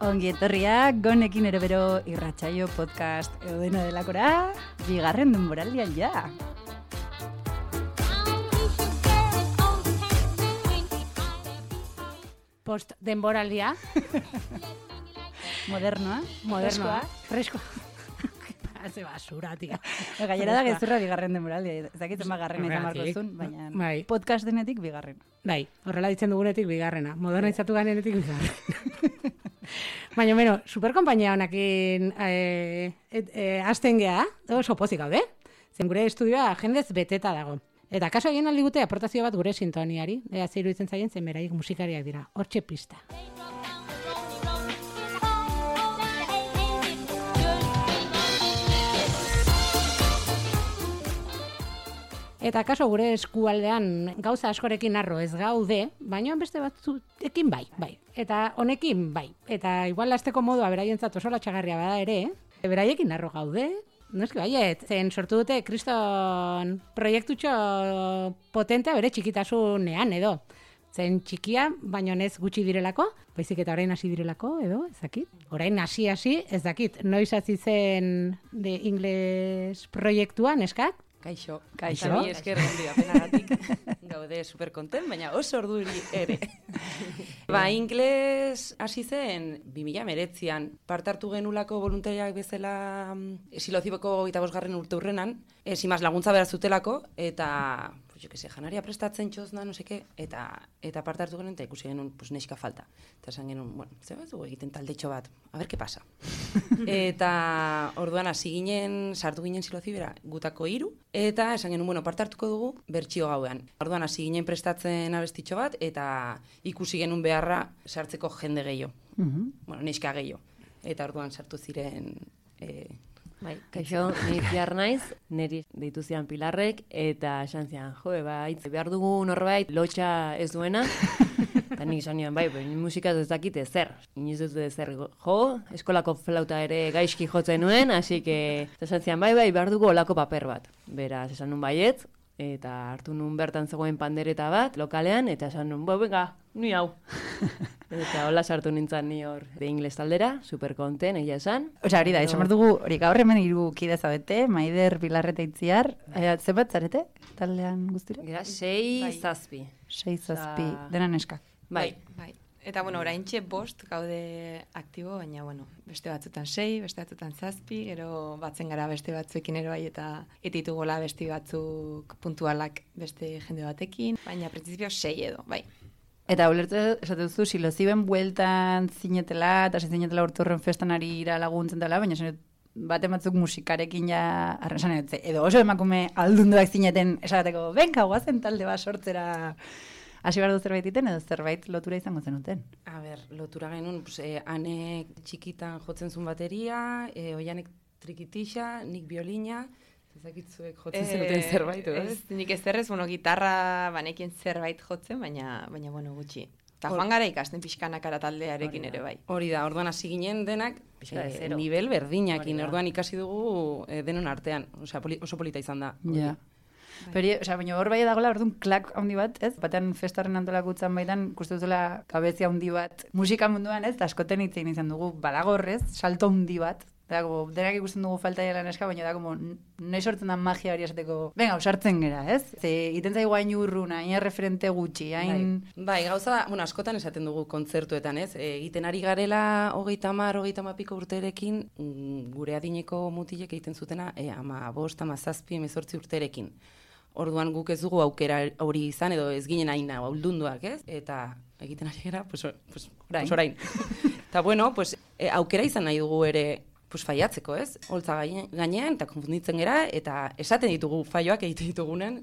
Ongi etorriak, gonekin ere bero irratsaio podcast eudena delakora, bigarren denboraldian ja. Post denboraldia. Modernoa. Freskoa. Hace basura, tia. Gainera da gezurra bigarren denboraldia. Ezakitzen bagarrena izan marko zuen, baina podcast denetik bigarren. Bai, horrela ditzen dugunetik bigarrena. Modernizatu ganenetik bigarren. Baina, bueno, superkompainia honakin hasten geha, oso pozik gaude. Zen gure estudioa jendez beteta dago. Eta kaso egin aldi gute aportazio bat gure sintoniari. Zeiru ditzen zaien, zen beraik musikariak dira. Hortxe pista. Eta kaso gure eskualdean gauza askorekin arro ez gaude, baina beste batzuekin bai. Eta honekin bai. Eta igual lasteko modua beraientzat oso latxagarria bada ere, beraiekin arro gaude. Noski baiet, zen sortu dute kriston proiektutxo potentea bere txikitasunean edo. Zen txikia, baina ez gutxi direlako, baizik eta orain hasi direlako edo, ez dakit. Orain hasi, ez dakit. Noiz hasi zen de ingles proiektuan, eskak? Kaixo. Mi esker ondia penagatik gaude superkonten, baina oso orduri ere. Ingles hasi zen 2019an partartu genulako voluntariak bezala Silozibeko 25. urte urrenan, simaz laguntza behar zutelako, eta janaria prestatzen txozna, no seke, eta partartu genuen, eta ikusi genuen, neska falta. Eta esan genuen, bueno, zer bat dugu egiten taldetxo bat, a ber, ke pasa. Eta orduan hasi ginen, sartu ginen Silozibera gutako 3, eta esan genuen, bueno, partartuko dugu bertsio gauean. Orduan hasi ginen prestatzen abestitxo bat, eta ikusi genuen beharra sartzeko jende gehiago. Bueno, neska gehiago. Eta orduan sartu ziren... Bai, kaixo, ni Pilar naiz, niri deitu zian Pilarrek, eta esan zian, behar dugu norbait lotxa ez duena, eta nik esan nian, musikaz ez dakit ezer, inoiz ez dut ezer eskolako flauta ere gaizki jotzen nuen, hasi que, esan zian, behar dugu olako paper bat, beraz, esan nun baietz, eta hartu nun bertan zegoen pandereta bat, lokalean, eta esan nun, venga, ni hau. Eta hola sartu nintzen ni hor de ingles taldera, superkonten, egia esan. Osa, hori da, esan behar dugu, hori gaur hemen 3 kide zabete, Maider, Pilarreta Itziar, zenbat zarete, taldean guztira? Gara, 6-7. 6-7, dena neskak. Bai. Eta, oraintxe 5 gaude aktibo, baina, beste batzutan 6, beste batzutan 7, gero batzen gara beste batzuekin ero bai, eta ditugola beste batzuk puntualak beste jende batekin, baina prinsipio 6 edo, bai. Eta ulertu esaten duzu, Siloziben bueltan zinetela, eta zinetela urturren festan ari ira laguntzen dela, baina baten batzuk musikarekin ja arresan edo oso emakume aldunduak zineten esateko, benka, guazen talde bat sortzera hasi behar du zerbait iten, edo zerbait lotura izango zenuten? A ber, lotura genuen, anek txikitan jotzen zuen bateria, oianek trikitixa, nik biolina, ezakitzuek jotzen zenuten zerbait, ez? Nik ezerrez, gitarra banekien zerbait jotzen, baina gutxi. Eta joan gara ikasten pixkanakara taldearekin ere bai. Hori da, orduan hasi ginen denak, nivel berdinakin, orduan ikasi dugu denon artean, oso polita izan da. Ja. Baina hor bai dagoela, orduan klak handi bat, ez? Batean festarren antolakutzan baitan, ikustu duzula kabezia handi bat, musika munduan, ez? Askoten hitzein izan dugu, balagorrez, salto handi bat, denak ikusten dugu falta dela neska, baina da, nahi sortzen da magia hori esateko, venga, usartzen gera, ez? Iten zaigu hain urruna, hain referente gutxi, hain... Bai, gauza, askotan esaten dugu kontzertuetan, ez? Egiten ari garela 30 piko urterekin, gure adineko mutilek egiten zutena, 15, 17, 18 urterekin. Orduan guk ez dugu aukera hori izan, edo ez ginen hain auldunduak, ez? Eta egiten ari gara, orain. Eta aukera izan nahi dugu ere, faiatzeko, ez? Holtza gainean, eta konfunditzen gera, eta esaten ditugu faioak egiten ditugunen,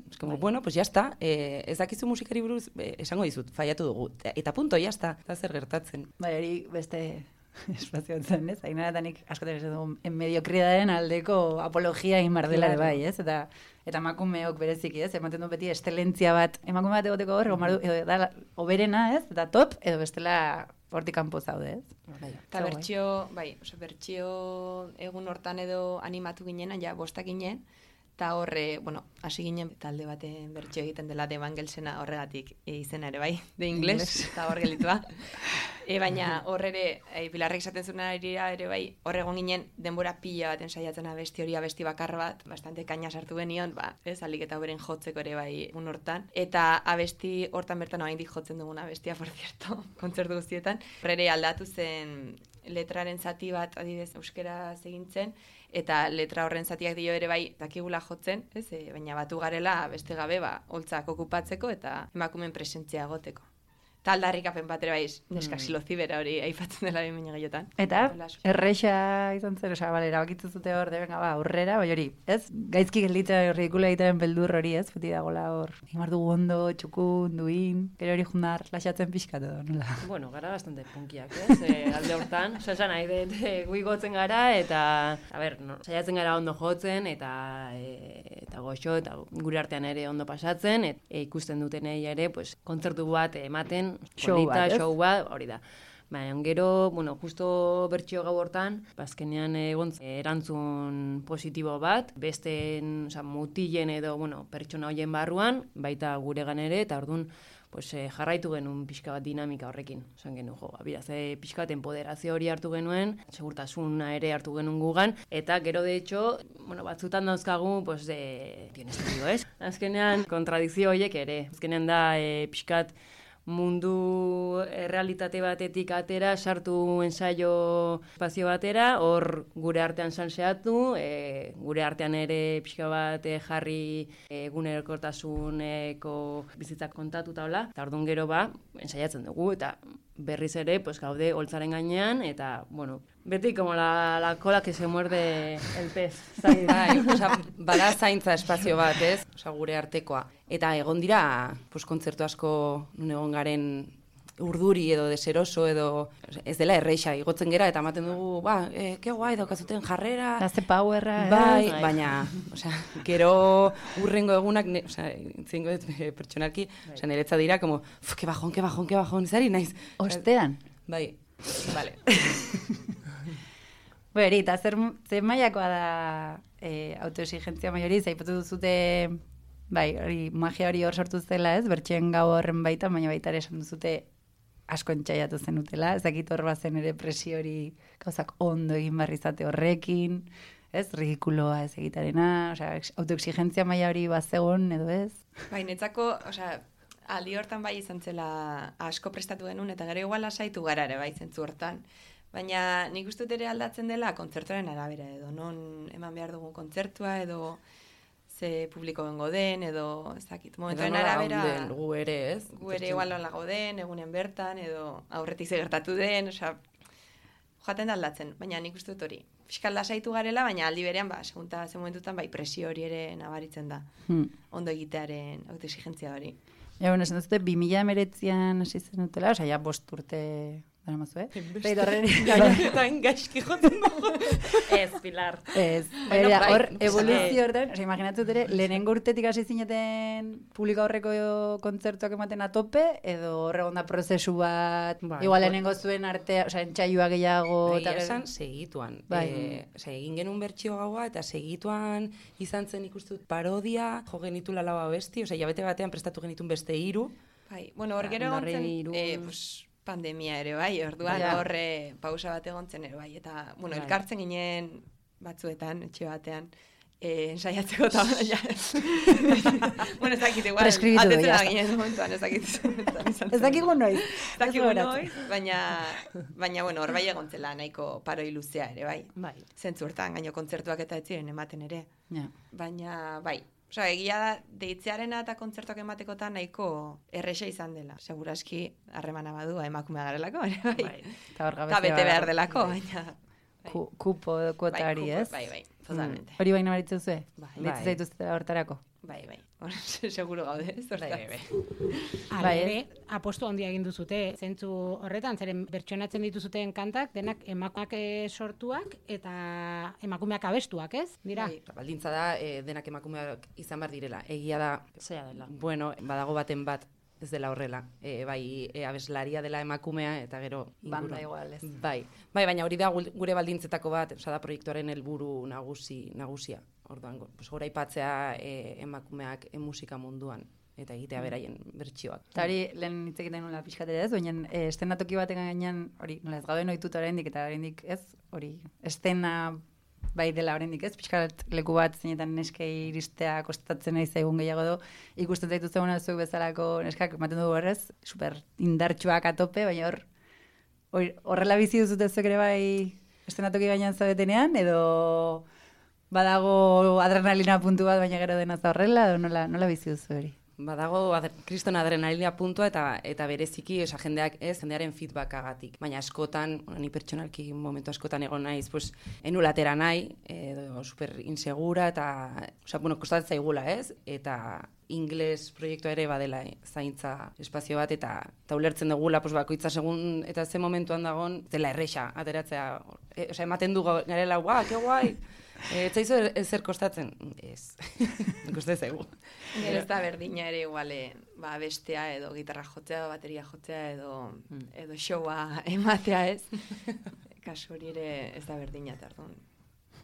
jazta, ez dakizu musikari buruz, esango dizut, faiatu dugu, eta punto, jazta, eta zer gertatzen. Hori beste espazioan zen, ez? Ainaratanik askotan ez dugu, mediokridaren aldeko apologia inbardela bai, ez? Eta emakumeok bereziki, ez? Ematen du beti estelentzia bat, emakume bat egoteko hor, da oberena, ez? Eta top, edo bestela hortik kanpo zaude, ez? Eta bertsio egun hortan edo animatu ginen, ja 5 ginen, Eta horre, bueno, hasi ginen talde baten bertxo egiten dela de Evangelsena horregatik izena ere bai, de ingles, eta hor gelitua. Baina horre Pilarrek esaten zuen ere bai, horregon ginen denbora pila baten saiatzen abesti hori abesti bakar bat, bastante kaina sartu benion, alik eta beren jotzeko ere bai un hortan. Eta abesti hortan bertan oraindik jotzen dugun abestia, por cierto, kontzertu guztietan. Horre aldatu zen letraren zati bat, adibidez, euskera egintzen, eta letra horren zatiak dio ere bai dakigula jotzen, baina batu garela beste gabe holtzak okupatzeko eta emakumen presentzia egoteko. Eta aldarrikapen bat ere bai, neska xilozibera hori aipatzen dela behin gehiotan. Eta erreixa izan zen, erabakitzu zute hor, aurrera, bai hori, ez? Gaizki gelditzen ridikula egiten beldur hori, ez? Beti dagoela hor, imar dugu ondo, txukun, duin, gero hori jundar, lasatzen pixkatu, nola? Bueno, gara bastante punkiak, ez? Alde hortan, esan nahi dut, guigotzen gara, eta, saiatzen gara ondo jotzen, eta goxo, eta gure artean ere ondo pasatzen, eta ikusten dutenei ere, pues, kontzertu bat ematen, show bat, hori da. Baina, gero, justo bertxio gau hortan, azkenean egon erantzun positibo bat, beste mutilen edo, pertsona hoien barruan, baita guregan ere, eta orduan, jarraitu genuen pixka bat dinamika horrekin. Esan genuen, pixka bat empoderazio hori hartu genuen, segurtasuna ere hartu genuen gugan, eta gero, de hecho, batzutan dauzkagu, tienes tío, ez? Azkenean, kontradizio horiek ere. Azkenean da, pixkat, mundu realitate batetik atera, sartu ensaio espazio batera, hor gure artean salseatu, gure artean ere pixka bat jarri egunerokotasuneko bizitzak kontatuta hola, eta orduan gero ensaiatzen dugu, eta berriz ere, gaude holtzaren gainean, eta, beti como la cola que se muerde el pez. Bada zaintza espazio bat, ez? Gure artekoa. Eta egon dira, kontzertu asko nun egon garen urduri edo deseroso edo ez dela erreixa igotzen gera eta ematen dugu, ke guai daukazuten jarrera. Haze powerra. Baina, gero urrengo egunak, zingo pertsonalki, niretza dira, como, ke bajon, izari naiz. Ostean? Bai, vale. Beri, eta zer mailakoa da autoexigentzia maiori, zaipatu duzute, magia hori hor sortu zela, ez? Bertxeen gau horren baita, baina baita ere esan duzute asko entxaiatu zenutela, ez dakit hor bazen ere presio hori gauzak ondo egin barrizate horrekin, ez? Ridikuloa ez egitarena, autoexigentzia maila hori bazegon, edo ez? Netzako, aldi hortan bai izan zela asko prestatu genuen, eta gero igual lasaitu gara ere bai zentzu hortan. Baina nik uste ere aldatzen dela kontzertuaren arabera, edo non eman behar dugun kontzertua, edo ze publiko bengo den, edo ez dakit. Momentoen arabera... Gu ere, ez? Gu ere igual lago den, egunen bertan, edo aurretik zegertatu den, joaten da aldatzen, baina nik uste dut hori. Fiskal lasaitu garela, baina aldi berean, segunta ze momentutan, presio hori ere nabaritzen da. Ondo egitearen autoexigentzia hori. Esan duzute, 2019an hasi zen dutela, ja 5 urte... Dara mazue? Eta gaizki jotzen dugu. Ez, Pilar. Ez. Hor, evoluzio hortan, imaginatzu ere, lehenengo urtetik hasi zineten publiko horreko kontzertuak ematen atope, edo horregon da prozesu bat, igual lehenengo zuen artea, entxaiua gehiago... Esan, segituan. Egin genuen bertxio gaua, eta segituan izan zen ikustut parodia, jo genitula lau abesti, jabete batean prestatu genitun beste 3. Hor gero egon zen... pandemia ere bai, orduan horre pausa bat egontzen ere bai, eta, elkartzen ginen batzuetan, etxe batean, ensaiatzeko eta ez dakit igual, atetzen da ginen momentuan, ez dakit. Ez dakigu noiz. Ez dakigu noiz, baina, hor bai egontzela nahiko paroi luzea ere bai. Zentzu hortan, gaino kontzertuak eta ez ziren ematen ere. Baina, bai. Egia da, deitzearena eta kontzertuak ematekotan nahiko erresa izan dela. Seguraski, harremana badua emakumea garelako, bai. Eta bete behar delako, baina... Kupo kuotari, ez? Bai, totalmente. Hori baina baritzen zuen? Ditzu zaituztela hortarako? Bai. Seguro gaude, ez hortaz. Bai, apostu handia egin duzute, zentzu horretan, zeren bertsonatzen dituzuten kantak, denak emakumeak sortuak eta emakumeak abestuak, ez? Dira? Baldintza da, denak emakumeak izan behar direla. Egia da, zera dela. Bueno, badago baten bat, ez dela horrela. Abeslaria dela emakumea, eta gero... Banda igual, ez? Bai, baina hori da gure baldintzetako bat, da proiektuaren helburu nagusia. orduan, goraipatzea emakumeak musika munduan, eta egitea beraien bertsioak. Eta hori, lehen hitz egiten nula pixkatera ez, baina estenatoki baten gainean, hori, nola ez gauden ohituta oraindik eta oraindik ez, hori, estena bai dela oraindik ez, pixkat leku bat zeinetan neskei iristea kostatzen nahi zaigun gehiago do, ikusten zaitu zegoena zuek bezalako neskak, ematen dugu horrez, super indartsuak atope, baina horrela bizi duzute zuek ere bai estenatoki gainean zaudetenean, edo badago adrenalina puntu bat, baina gero dena horrela, edo nola bizi duzu hori? Badago kriston adrenalina puntua eta bereziki, jendearen feedbackagatik. Baina askotan, ni pertsonalki momentu askotan egon naiz, pues, enulatera nahi, edo super insegura, eta, kostatzen zaigula, ez? Eta ingles proiektua ere badela zaintza espazio bat, eta ulertzen dugula, bakoitza segun eta ze momentuan dagon, dela erresa, ateratzea. Ematen du garela, ke guai! Ez zaizu ezer kostatzen? Ez. Kostatzen zaigu. Gero ez da berdina ere iguale, bestea edo gitarra jotzea, edo bateria jotzea, edo showa ematea ez. Kasu hori ere ez da berdina tardun.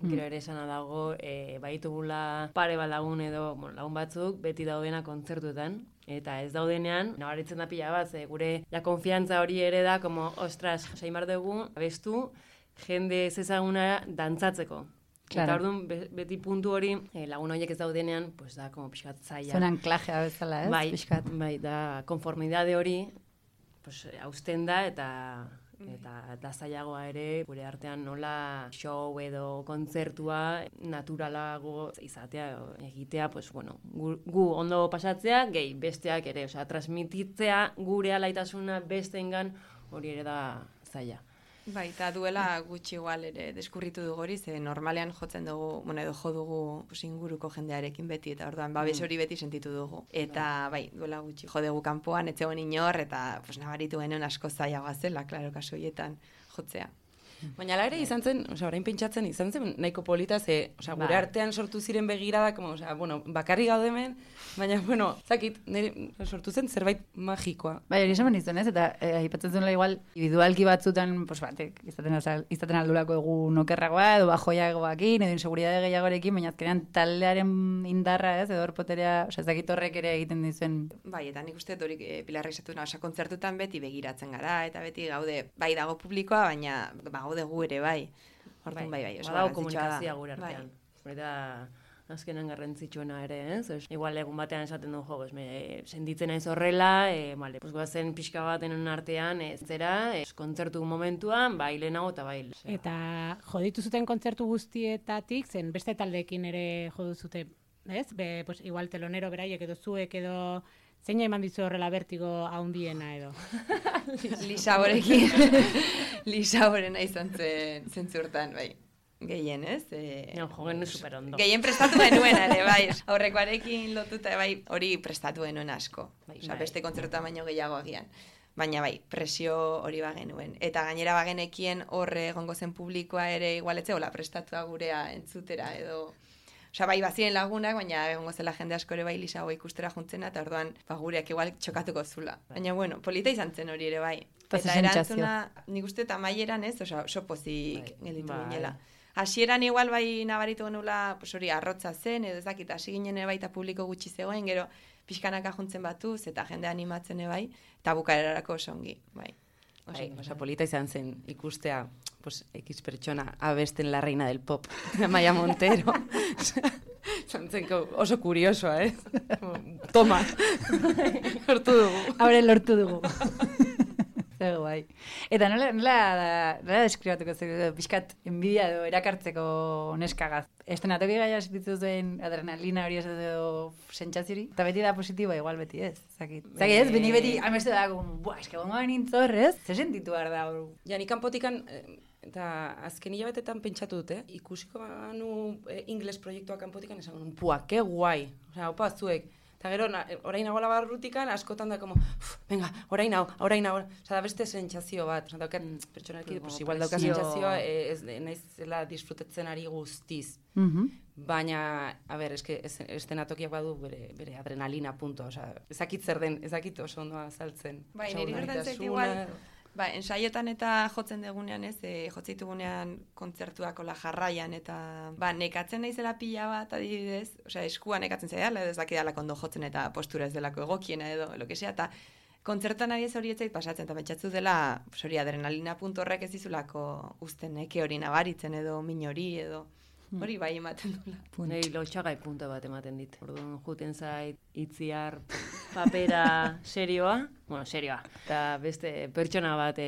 Gero ere esana dago, baitugula pare bat lagun edo lagun batzuk beti daudena kontzertuetan. Eta ez daudenean, nabaritzen da pila bat, gure konfiantza hori ere da, ostras, saimar dugu, abestu, jende ez ezaguna dantzatzeko. Claro. Eta orduan, beti puntu hori, lagun horiek ez daudenean, pues da, pixkat zaila. Zuen anklajea bezala, ez? Bai, da, konformidade hori, pues, hausten da, eta zailagoa ere, gure artean nola show edo kontzertua naturalago izatea, egitea, pues, gu ondo pasatzea, gehi besteak ere, transmititzea gure alaitasuna besteengan hori ere da zaila. Bai, eta duela gutxi igual ere deskurritu dugu hori, ze normalean jotzen dugu, edo jo dugu inguruko jendearekin beti, eta orduan babes hori beti sentitu dugu. Eta bai, duela gutxi jo dugu kanpoan, etzegoen inor, eta nabaritu genuen asko zailagoa zela, klaro, kasu horietan jotzea. Baina ala ere izan zen, orain pentsatzen izan zen nahiko polita, gure artean sortu ziren begiradak, bakarri gaude hemen, baina, zakit, sortu zen zerbait magikoa. Bai, hori esan izan ez, eta aipatzen zuela igual, individualki batzutan, batek, izaten aldulako egun okerragoa, edo bajoiagoakin, edo inseguridade gehiagorekin, baina azkenean taldearen indarra ez, edo horpoterea, ez dakit horrek ere egiten dizuen. Bai, eta nik uste horik Pilarra izatu kontzertutan beti begiratzen gara, eta beti gaude, bai dago publikoa, baina gaude gu ere, bai. Orduan, bai. Badago komunikazioa gure artean. Eta azkenan garrantzitsuena ere, ez? Igual egun batean esaten du, senditzen naiz horrela, goazen pixka baten artean, kontzertu momentuan, bai lehenago eta bai. Eta joditu zuten kontzertu guztietatik, zen beste taldeekin ere jodu zute, ez? Igual telonero beraiek edo zuek edo... Zein eman dizu horrela bertigo haundiena edo? Lisaborekin. Lisaborena izan zen zentzurtan, bai. Gehien, ez? Jogen super ondo. Gehien prestatu genuen, ere, bai. Aurrekoarekin lotuta, bai, hori prestatu genuen asko. Beste kontzertuan baino gehiago agian. Baina bai, presio hori bagenuen. Eta gainera bagenekien horre egongo zen publikoa ere igualetzeola prestatua gurea entzutera edo... bai, baziren lagunak, baina egongo zela jende asko ere bai Lisago ikustera juntzena, eta orduan gureak igual txokatuko zula. Baina, polita izan zen hori ere bai. Eta erantzuna, nik uste eta maieran ez, oso pozik gelditu ginela. Hasieran igual bai nabaritu genula, hori arrotza zen, edo ezakit, hasi ginen bai eta publiko gutxi zegoen, gero pixkanaka juntzen batuz, eta jende animatzen bai, eta bukarerarako oso ongi, bai. Polita izan zen ikustea, X pertsona abesten la reina del pop, Amaia Montero. Zantzeko oso kuriosoa, Toma, lortu dugu. Lortu dugu. Zego, bai. Eta nola deskribatuko zer, pixkat enbidia edo erakartzeko neskagaz. Estenatoki gaia esititu zuen adrenalina hori edo sentsazio hori. Eta beti da positiboa, igual beti ez. Zakit ez, beti amestu da, eske gongo nintzor, ez? Zer sentitu behar da hori? Ja, nik kanpotikan, eta azken hilabetetan pentsatu dut, ikusiko banu ingles proiektua kanpotikan, esan, ke guai. Opa, zuek. Eta gero, orain nagoela barrutikan, askotan da, venga, orain hau. Da beste sentsazio bat. Daukat, pertsonalki, igual daukat sentsazioa, naiz zela disfrutatzen ari guztiz. Baina, eske, estenatokiak badu bere adrenalina puntua. Ezakit zer den, ezakit oso ondoa azaltzen. Bai, niri gertatzen igual, Ba, ensaiotan eta jotzen degunean ez, jotzitugunean kontzertuak ola jarraian eta nekatzen naizela pila bat adibidez, osea, eskua nekatzen zaidala, edo ez dakidalako ondo jotzen eta postura ez delako egokiena edo, lo que sea, eta kontzertan ari ez hori etzait pasatzen, eta pentsatzu dela, hori adrenalina puntu horrek ez dizulako uzten eke hori nabaritzen edo min hori edo, hori bai ematen dula. Nei lotxagai punta bat ematen dit. Orduan juten zait itziar papera serioa, eta beste pertsona bat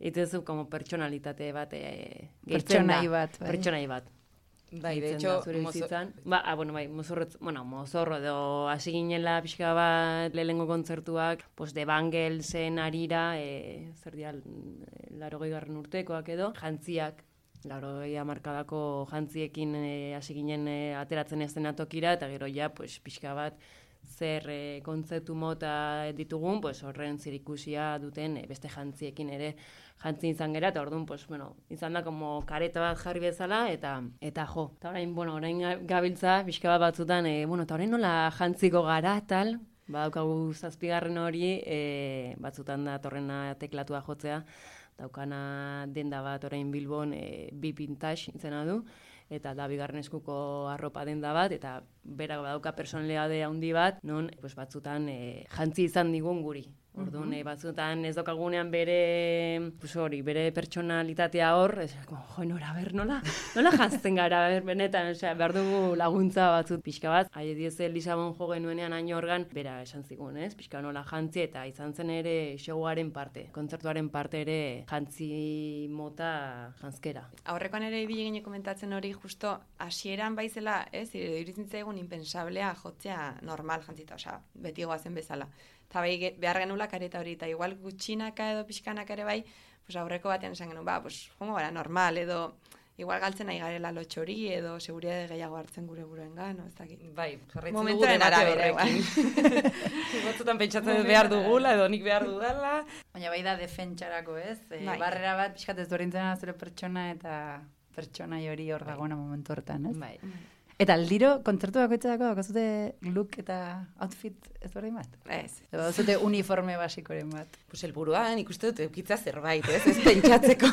itezu como personalitate bat Pertsonai bat, bai. Pertsonai bat. Bai, de hecho, mozorro edo hasi ginela pixka bat lehengo kontzertuak, pues de Bangelsen arira, zer dial, 80. urtekoak edo, jantziak, 80 hamarkadako jantziekin hasi ginen ateratzen eszenatokira, eta gero ja, pues, pixka bat zer kontzeptu mota ditugun, pues, horren zirikusia duten beste jantziekin ere jantzi izan gera, eta orduan, pues, bueno, izan da como kareta bat jarri bezala, eta jo. Eta orain gabiltza, pixka bat batzutan, eta orain nola jantziko gara, tal, badaukagu 7. hori, batzutan da torrena teklatua jotzea, daukana denda bat orain Bilbon bi pintage izena du, eta da 2. eskuko arropa denda bat, eta berak badauka personalidade handi bat, non pues, batzutan jantzi izan digun guri. Orduan, batzutan ez daukagunean bere pertsonalitatea hor, nola jantzen gara, benetan, behar dugu laguntza batzut pixka bat. Haie dieze Lisabon jo genuenean haino organ, bera esan zigun, ez? Pixka nola jantzi eta izan zen ere showaren parte, kontzertuaren parte ere jantzi mota jantzkera. Aurrekoan ere ibili gine komentatzen hori justo hasieran baizela, ez? Iruditzen zaigun impensablea jotzea normal jantzita, osea, beti goazen bezala. Eta bai, behar genula kareta hori, eta igual gutxinaka edo pixkanaka ere bai, pues aurreko batean esan genuen, pues jongo gara normal, edo igual galtzen nahi garela lotxori, edo seguridade gehiago hartzen gure buruengan, no, ez dakit. Bai, jarraitzen dugu debate horrekin. Batzutan pentsatzen behar dugula, edo nik behar dudala. Baina bai da defentsarako, ez? Barrera bat pixkat ez dorintzen zure pertsona eta pertsona hori hor dagoena momentu hortan, ez? Bai. Eta aldiro, kontzertu bakoitzako daukazute look eta outfit ez berdin bat? Ez. Edo zute uniforme basikoren bat? Pues helburuan ikuste dut eukitza zerbait, ez pentsatzeko.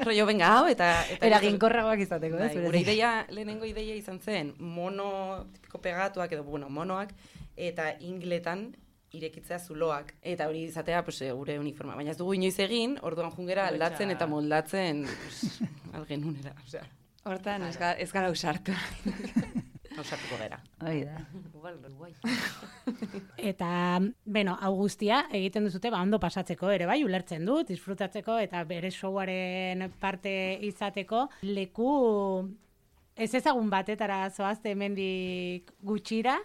Rollo, venga, hau, eta eraginkorragoak izateko, ez? Gure lehenengo ideia izan zen, mono, tipiko pegatuak edo, monoak, eta ingletan irekitzea zuloak. Eta hori izatea, pues, gure uniforma. Baina ez dugu inoiz egin, orduan jungera aldatzen eta moldatzen, pues, algenunera, osea. Hortan, ez gara usartu. Ausartuko gara. Hoi da. Eta, hau guztia egiten duzute, ondo pasatzeko ere bai, ulertzen dut, disfrutatzeko eta bere showaren parte izateko. Leku ez ezagun batetara zoazte hemendik gutxira,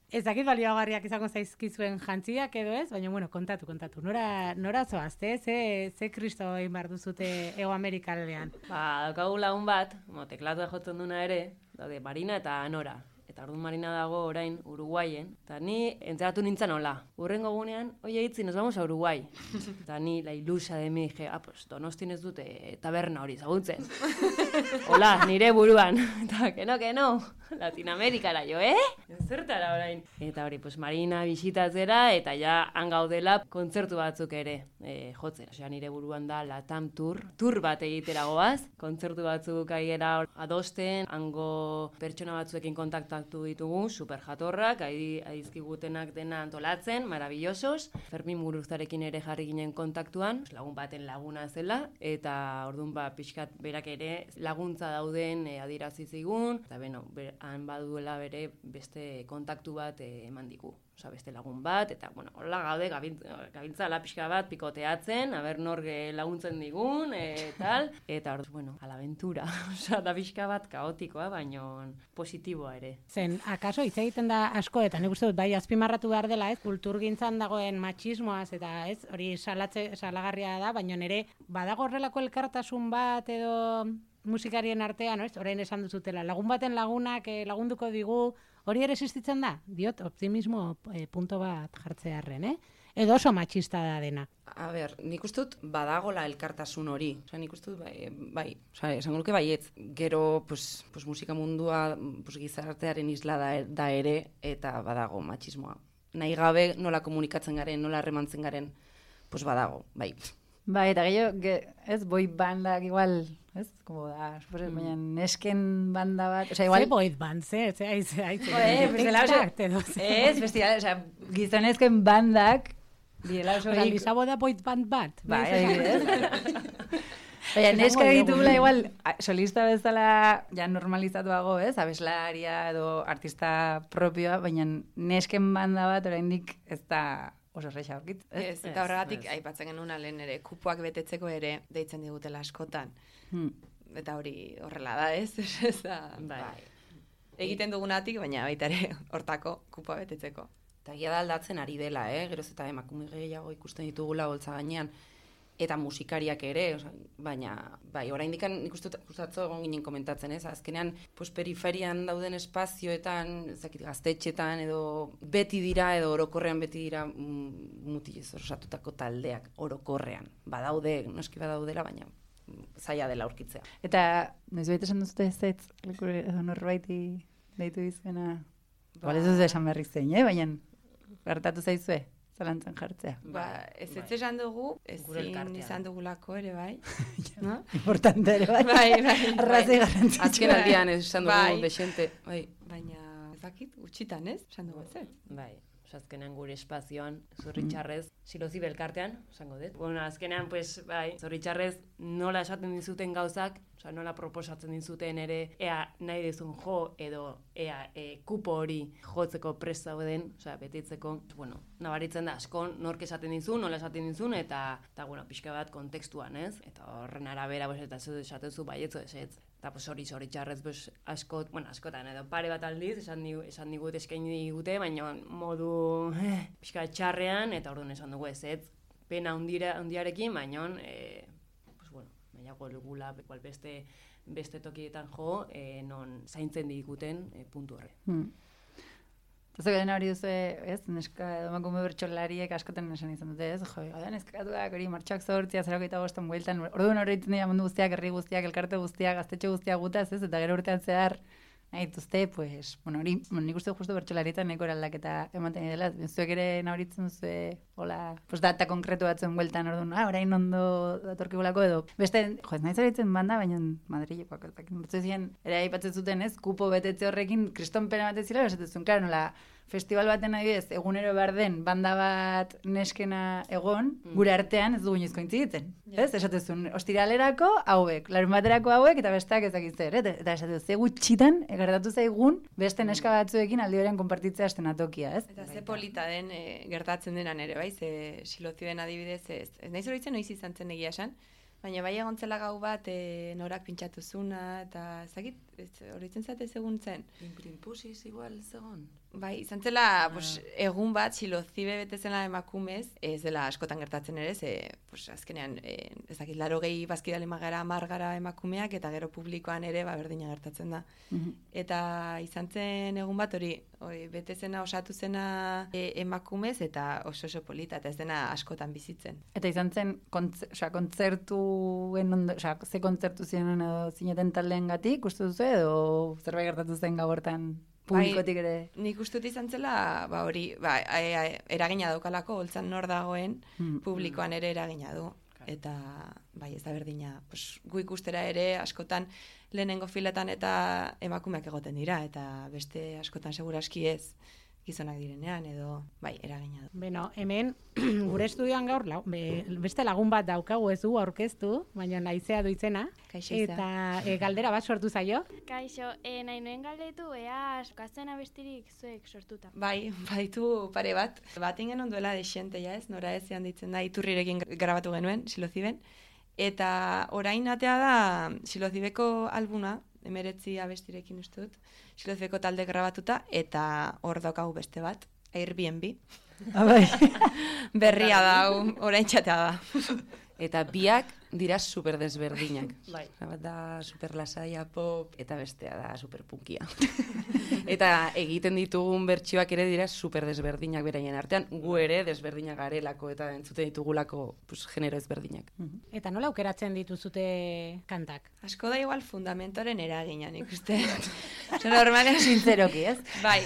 ez dakit balioagarriak izango zaizkizuen jantziak edo ez, baina, kontatu. Nora zoazte, ze kristo egin behar duzute Ego Amerikaldean? Daukagu lagun bat, teklatua jotzen duna ere, daude Marina eta Nora. Eta orduan Marina dago orain Uruguayen. Eta ni entzeratu nintzen hola. Urrengo gunean, oie hitzi, nos vamos a Uruguay. Eta ni la ilusa de mi, pues Donostin ez dute taberna hori zagutzen. Hola, nire buruan. Eta, que no, Latinoamerikara jo, Zertara orain. Eta hori, pues Marina bisitatzera, eta ja hangaudela kontzertu batzuk ere jotzera. Osea, nire buruan da Latam Tour bat egitera goaz. Kontzertu batzuk aiera adosten, hango pertsona batzuekin kontaktatu ditugu, super jatorrak, aizkigutenak dena antolatzen, maravillosos. Fermin Muguruzarekin ere jarri ginen kontaktuan, lagun baten laguna zela, eta orduan pixkat berak ere laguntza dauden adierazi zigun, eta han baduela bere beste kontaktu bat eman digu. Osa, beste lagun bat, eta, hola gaude, gabiltzala pixka bat pikoteatzen, aber nor laguntzen digun, tal, eta hor, a la aventura. Osa, da pixka bat kaotikoa, baina positiboa ere. Zen, akaso, hitz egiten da asko, eta nik uste dut, bai, azpimarratu behar dela, kulturgintzan dagoen matxismoaz, eta hori salagarria da, baina nire, badago horrelako elkartasun bat, edo musikarien artean, orain esan duzutela, lagun baten lagunak lagunduko digu, hori ere existitzen da? Diot, optimismo punto bat jartzearren, Edo oso matxista da dena. A ber, nik uste dut badagola elkartasun hori. Osa, nik uste dut bai, esango nuke baietz. Gero, pues musika mundua gizartearen isla da ere, eta badago matxismoa. Nahi gabe nola komunikatzen garen, nola harremantzen garen, pues badago, bai. Bai, eta gehiago, ez, boy bandak igual, ez, como da, baina nesken banda bat, osea, igual... Ze boy band, ze, ez, bestia, osea, gizonezken bandak, direla oso... Izabo da boy band bat. Bai, adibidez. Baina, neska ditugula igual, solista bezala ja normalizatuago, ez, abeslaria edo artista propioa, baina nesken banda bat oraindik ez da oso erresa aurkit. Ez, eta horregatik aipatzen genuen lehen ere, kupoak betetzeko ere deitzen digutela askotan. Eta hori horrela da, ez? Ez da, bai. Egiten dugunatik, baina baita ere hortako kupoa betetzeko. Eta gira da aldatzen ari dela, geroz eta emakume gehiago ikusten ditugula holtza gainean, eta musikariak ere, baina, bai, oraindik nik uste atzo egon ginen komentatzen, ez? Azkenean, periferian dauden espazioetan, ezakit gaztetxetan, edo beti dira, edo orokorrean beti dira mutilez osatutako taldeak, orokorrean. Badaude, noski badaudela, baina zaila dela aurkitzea. Eta, noiz baita esan duzute ez, edo norbaiti deitu izena, ez dut esan berrik zein, baina gertatu zaizue? Zalantzan jartzea. Ez esan dugu, ezin izan dugulako ere, bai. No? Importante ere, bai. Bai. Arrazoi garrantzitsua. Azken aldian esan dugu desente. Baina, ezakit, gutxitan, ez? Esan dugu ez. Bai. Azkenean gure espazioan, Zorritxarrez, Silozi belkartean, esango dut. Bueno, azkenean, pues, bai, Zorritxarrez nola esaten dizuten gauzak, nola proposatzen dizuten ere, ea nahi dizun jo, edo ea kupo hori jotzeko prest zauden, betitzeko, bueno, nabaritzen da askon, nork esaten dizun, nola esaten dizun, eta bueno, pixka bat kontekstuan, ez? Eta horren arabera, eta esaten zu baietzo ez. Eta hori Zorritxarrez askotan edo pare bat aldiz esan digut eskaini digute, baina modu pixka txarrean, eta orduan esan dugu ez, pena hundiarekin, baina gula beste tokietan jo, non zaintzen diguten puntu horre. Eta garen hori duzu, ez, neska edo emakume bertsolariek askoten esan izan dute, ez, neskatuak hori martxoak 8:05 bueltan, orduan horretzen dira mundu guztiak, herri guztiak, elkarte guztiak, gaztetxo guztiak gutaz, ez, eta gero urtean zehar, nahi dituzte, pues, bueno, hori, nik uste justu bertsolarietan nahiko eraldaketa ematen dela, zuek ere nahoritzen duzu, hola, pues data konkretu batzuen bueltan, orduan, orain ondo datorkigulako edo, beste, ez nahi zoritzen banda, baina Madrilekoak, ere aipatzen zuten, ez, kupo betetze horrekin, kriston pena bat ez zila, esatzen, klaro, nola, festival baten adibidez, egunero behar den banda bat neskena egon, gure artean ez dugu inoizko intziditzen. Ez? Esatezun, ostiralerako hauek, larun baterako hauek, eta besteak ezakit zer. Eta esatez, ze gutxitan, gertatu zaigun, beste neska batzuekin aldi berean konpartitzea estenatokia, ez? Eta ze polita den gertatzen denan ere, bai? Ze Silozioen adibidez ez. Ez nahi zoritzen noiz izan zen egia esan, baina bai egontzela gau bat norak pintxatu zuna, eta ezakit, horitzen zate egun zen. Imprimpusiz igual zegon. Bai, izan zela egun bat Silozibe betezela emakumez, ez dela askotan gertatzen ere, azkenean, ezakit, 80 bazkidale magara, 10 gara emakumeak, eta gero publikoan ere berdina gertatzen da. Eta izan zen egun bat hori betezena, osatu zena emakumez, eta oso polita, eta ez dena askotan bizitzen. Eta izan zen, kontzertuen ondo, ze kontzertu ziren zineten taldeen gatik, uste duzu, edo zerbait gertatu zen gabortan publikotik ere? Nik uste dut izan zela, eragina daukalako, holtzan nor dagoen, publikoan ere eragina du. Eta, ez da berdina, gu ikustera ere, askotan lehenengo filetan eta emakumeak egoten dira, eta beste askotan seguraski ez gizonak direnean, edo, eragina du. Beno, hemen, gure estudioan gaur, beste lagun bat daukagu ez du aurkeztu, baina Naizea du izena. Kaixo, Izea. Eta galdera bat sortu zaio. Kaixo, nahi nuen galdetu, ea askazten abestirik zuek sortuta. Baitu pare bat. Batingen onduela desente, ez? Nora ez ditzen da, Iturrirekin grabatu genuen, Siloziben. Eta orain atea da Silozibeko albuna, 19 abestirekin uste dut, Silozibeko talde grabatuta, eta hor daukagu beste bat, Airbnb. Berria da, orain txatea da. Eta biak dira super desberdinak. Bat da super lasaia pop, eta bestea da super punkia. Eta egiten ditugun bertsioak ere dira super desberdinak beraien artean, gu ere desberdinak garelako eta entzuten ditugulako genero ezberdinak. Eta nola aukeratzen dituzute kantak? Asko da igual fundamentoren eraginan ikuste. Normalean Sinceroki, ez? Bai,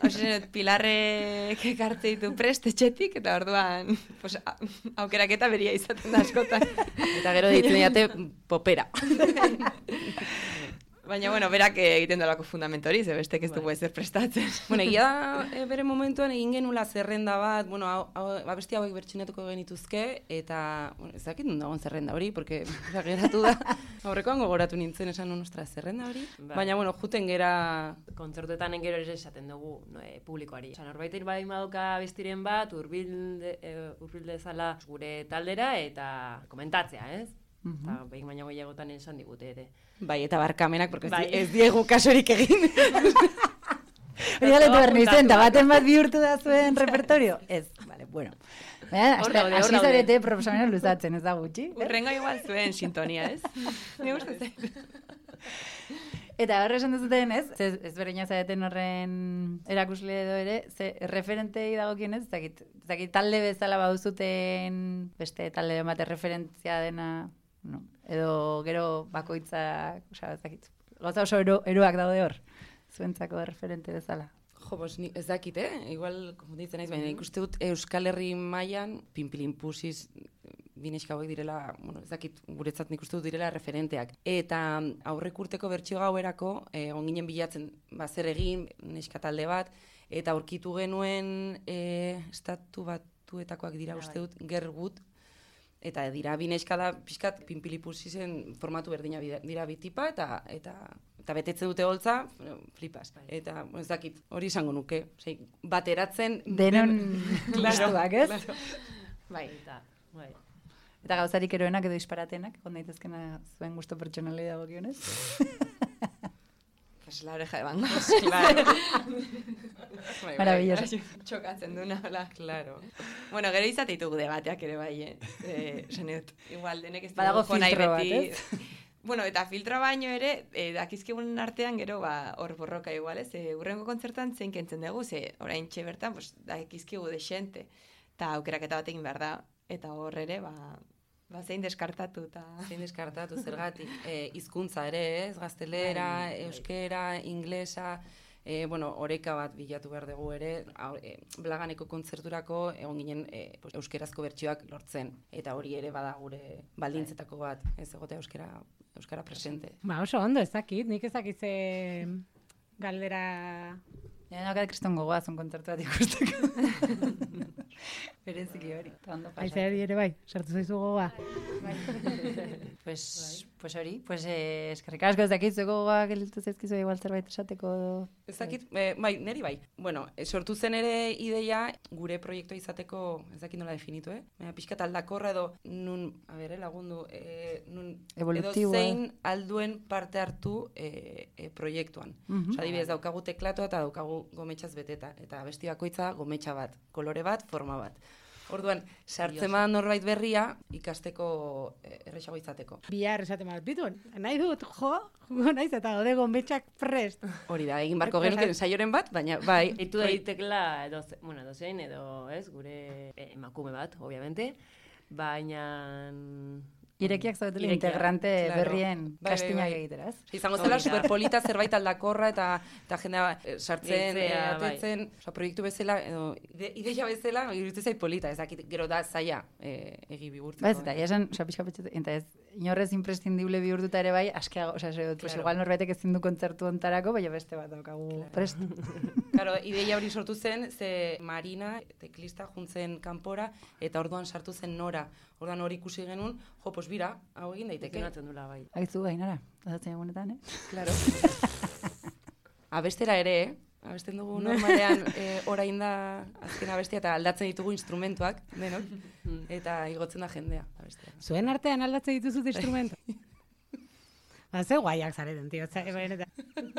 Hausen, Pilarrek ekartze ditu prest etxetik, eta orduan pues, aukeraketa beria izaten da askotan. Eta gero ditzen diate popera. Baina, bueno, berak egiten dolako fundamento hori, ze bestek ez dugu ezer prestatzen. Bueno, egia da, bere momentuan egin genula zerrenda bat, bueno, abesti hauek bertxinatuko genituzke, eta, bueno, ez dakit nun dagoen zerrenda hori, porque geratu da, aurrekoan gogoratu nintzen esan nostra zerrenda hori, baina, bueno, juten gera... Kontzertuetan gero ere esaten dugu publikoari. Osa, norbait bai madoka bestiren bat, urbil dezala gure taldera, eta komentatzea, ez? Eta behin baina gehiagotan esan digute ere. Bai, eta barkamenak, porque ez diegu kasorik egin. Hori galetu behar nintzen, eta baten bat bihurtu da zuen repertorio? Ez, vale, bueno. Hasi zarete proposamena luzatzen, ez da gutxi? Urrengo igual zuen sintonia, ez? Ni gustatzen. Eta horre esan duzuten, ez? Ez berdina zareten horren erakusle edo ere, ze referentei dagokien ez? Zakit talde bezala baduzuten beste talde bat referentzia dena, no? Edo gero bakoitzak, osea, zakit. Gauza oso eroak daude hor, zuentzako referente bezala. Jo, bos, ez dakit, igual konfunditzen naiz, baina ikuste dut Euskal Herri mailan pinpilinpusiz bineska hauek direla, bueno, ez dakit, guretzat nik uste dut direla referenteak. Eta aurrek urteko bertsio gauerako, onginen bilatzen, zer egin, neska talde bat, eta aurkitu genuen estatu batuetakoak dira uste dut, Gergut, eta dira bineska da, pixkat, pinpilipusizen formatu berdina dira bitipa, eta betetzen dute holtza, flipas. Eta, ez dakit, hori izango nuke, bateratzen... Denon gustuak, ez? Bai. Eta gauzarik eroenak edo disparatenak, egon daitezkena zuen gusto pertsonalei dagokionez. Pues la oreja de Van Gogh. Claro. Maravilloso. Txokatzen duna, hola. Claro. Bueno, gero izate ditugu debateak ere bai, igual, denek ez badago filtro bat, ez? Bueno, eta filtro baino ere, dakizkigun artean gero, hor borroka igual, ez? Urrengo kontzertan zein kentzen dugu, orain txe bertan, dakizkigu desente, eta aukeraketa bat egin behar da, eta hor ere, zein deskartatu eta... Zein deskartatu, zergatik. Hizkuntza ere, ez? Gaztelera, euskera, inglesa... bueno, oreka bat bilatu behar dugu ere, Blaganeko kontzerturako egon ginen euskerazko bertsioak lortzen. Eta hori ere bada gure baldintzetako bat, ez egotea euskara presente. Ba, oso ondo ezakit, nik ezakit ze galdera... Nakat kriston gogoazun kontzertu bat ikusteko. Bereziki hori, eta ondo pasatu. Aizeari ere bai, sartu zaizu gogoa. Pues hori, eskerrik asko ez dakit, zueko gogoa gelditu zaizkizu igual zerbait esateko. Ez dakit, bai, neri bai. Bueno, sortu zen ere ideia gure proiektua izateko, ez dakit nola definitu, pixkat aldakorra edo nun, lagundu, nun edo zein alduen parte hartu proiektuan. Osa, adibidez, daukagu teklatoa eta daukagu gometxaz beteta, eta besti bakoitza gometxa bat, kolore bat, forma bat. Orduan, sartzen bat norbait berria ikasteko erresago izateko. Bihar esaten bat, bituen, nahi dut, naiz eta gode gometxak prest. Hori da, egin barko genuken ensaioren bat, baina bai. Eitu daitekela, dozein edo, ez, gure emakume bat, obviamente, baina... Irekiak zaudetela integrante berrien kastinak egiteraz. Izango zela superpolita zerbait aldakorra eta jendea sartzen, atetzen, proiektu bezala, ideia bezala, iruditzen zait polita, ez dakit, gero da zaila egi bihurtzeko. Ba ez, eta esan, pixka petxetu, eta ez, inorrez imprescindible bihurtuta ere bai, askeago, igual norbaitek ezin du kontzertu ontarako, baina beste bat daukagu prest. Claro, ideia hori sortu zen, ze Marina, teklista, juntzen kanpora, eta orduan sartu zen Nora. Orduan hori ikusi genuen, pues bira, hau egin daiteke. Dula, bai. Aizu, Ainara, dazatzen egunetan, Claro. Abestera ere, abesten dugu normalean orain da azken abestia eta aldatzen ditugu instrumentuak, denok, eta igotzen da jendea abestea. Zuen artean aldatzen dituzut instrumentu? Ze guaiak zareten, tio.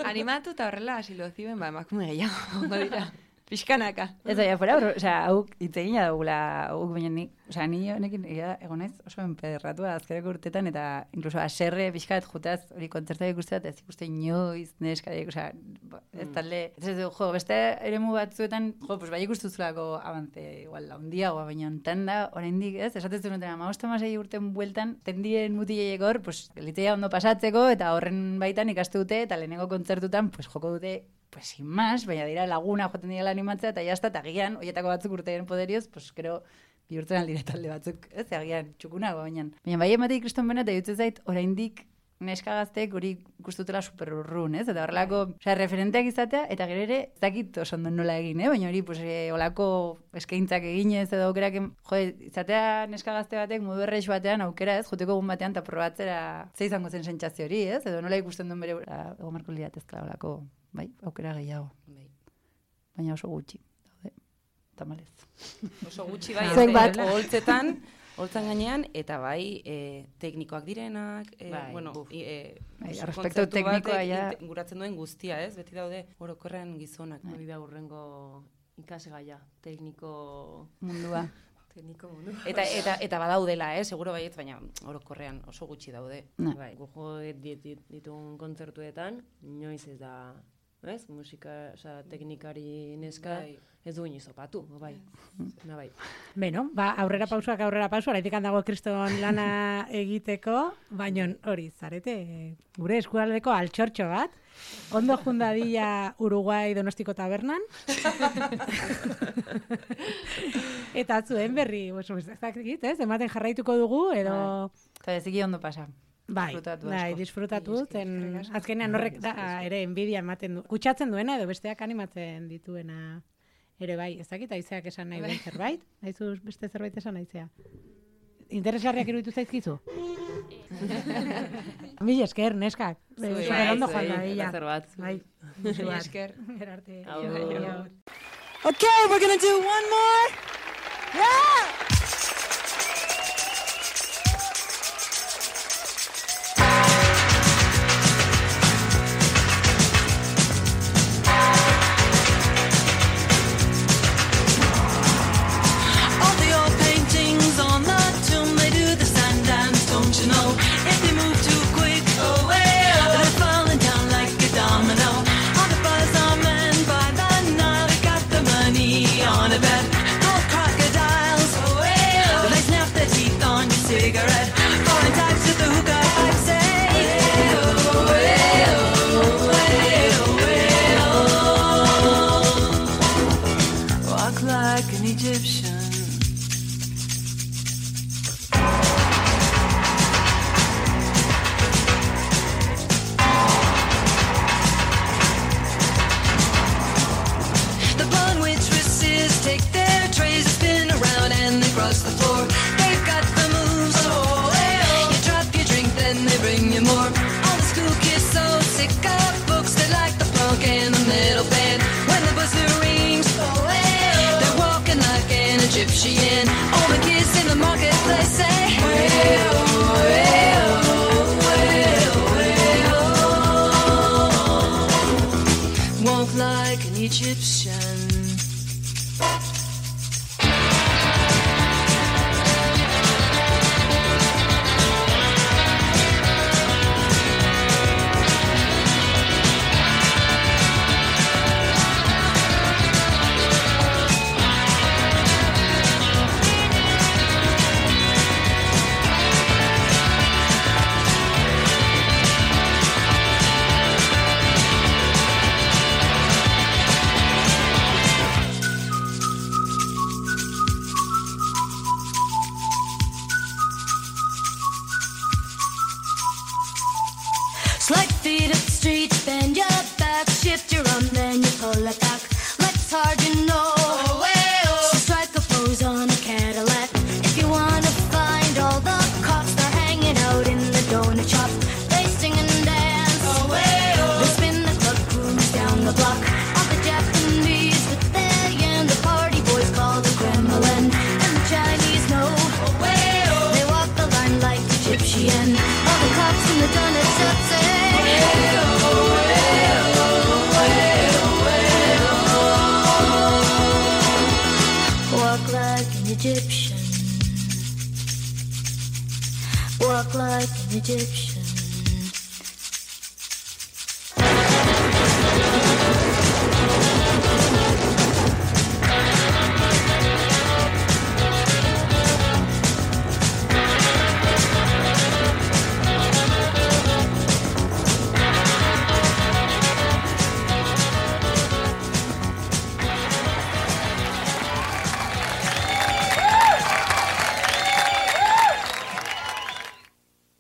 Animatu eta horrela asilozioen, emakume gehiago, dira. Pixkanaka. Ez da, fuera, hauk itzegina dugula, hauk baina nik, ni honekin egon naiz oso enpederratua azkerako urtetan, eta inkluso aserre pixkat jutaz hori kontzertak ikusteat, ez ikuste inoiz, neskariak, ez talde, ez du, beste eremu batzuetan, pues bai ikustuzulako abante, igual, handiagoa, baina ontan da, oraindik ez, esatezu nuten, 5-6 urten bueltan, tendien mutileiek hor, pues, litzea ondo pasatzeko, eta horren baitan ikaste dute, eta lehenengo kontzertutan, pues, joko dute pues sin más, baina dira laguna joaten dira animatzea, eta jazta, eta agian, horietako batzuk urtearen poderioz, pues, gero, bihurtzen aldire talde batzuk, ez, agian, txukunago, baina. Baina bai emateik kriston bena, eta jutzen zait, oraindik neska gazteek hori gustutela super urrun, ez? Eta horrelako, referenteak izatea, eta gero ere, ez dakit oso ondo nola egin, baina hori, pues, olako eskaintzak eginez, edo aukerak, izatea neska gazte batek modu erreix batean aukera, ez? Joteko egun batean, eta probatzera, ze izango zen sentsazio hori, ez? Edo nola ikusten duen bere, ego marko liratezkala olako, bai, aukera gehiago. Baina oso gutxi, daude, tamalez. Oso gutxi bai, Zuek bat. Holtzan gainean, eta bai, teknikoak direnak, bueno, aspektu teknikoa ja guratzen duen guztia, ez? Beti daude orokorrean gizonak. Hori da urrengo ikasgaia, tekniko mundua. Eta badaudela, seguro baiet, baina orokorrean oso gutxi daude. Bai, gujo ditugun kontzertuetan, inoiz ez da, ez? Musika, oza, teknikari neska, ez du inoiz opatu, bai. Bai. Beno, aurrera pausu, araitik handago kriston lana egiteko, baina hori, zarete, gure eskualdeko altxortxo bat, ondo jundadilla Uruguai Donostiko tabernan, eta zuen berri, ez, ematen jarraituko dugu, edo... Eta eziki ondo pasa. Bai, disfrutatu, azkenean horrek ere enbidia ematen du. Kutsatzen duena edo besteak animatzen dituena ere bai, ez dakit aizeak esan nahi duen zerbait? Aizu beste zerbait esan aizea? Interesgarriak iruditu zaizkizu? Mila esker, neskak. Super ondo joan da bila. Bai, mila esker. Gerarte. Okay, we're gonna do one more. Yeah! Egyptian, all the kids in the marketplace say, walk like an Egyptian. Slight feet up the street, bend your back, shift your arm, then you pull it back. Legs hard, you know. So strike a pose on a Cadillac. If you wanna find all the cops, they're hanging out in the donut shop. They sing and dance. They spin the club, cruise down the block. All the Japanese with their yen, the party boys call the Kremlin, and the Chinese know. They walk the line like Egyptian. All the cops in the donut shop say, walk like an Egyptian. Walk like an Egyptian.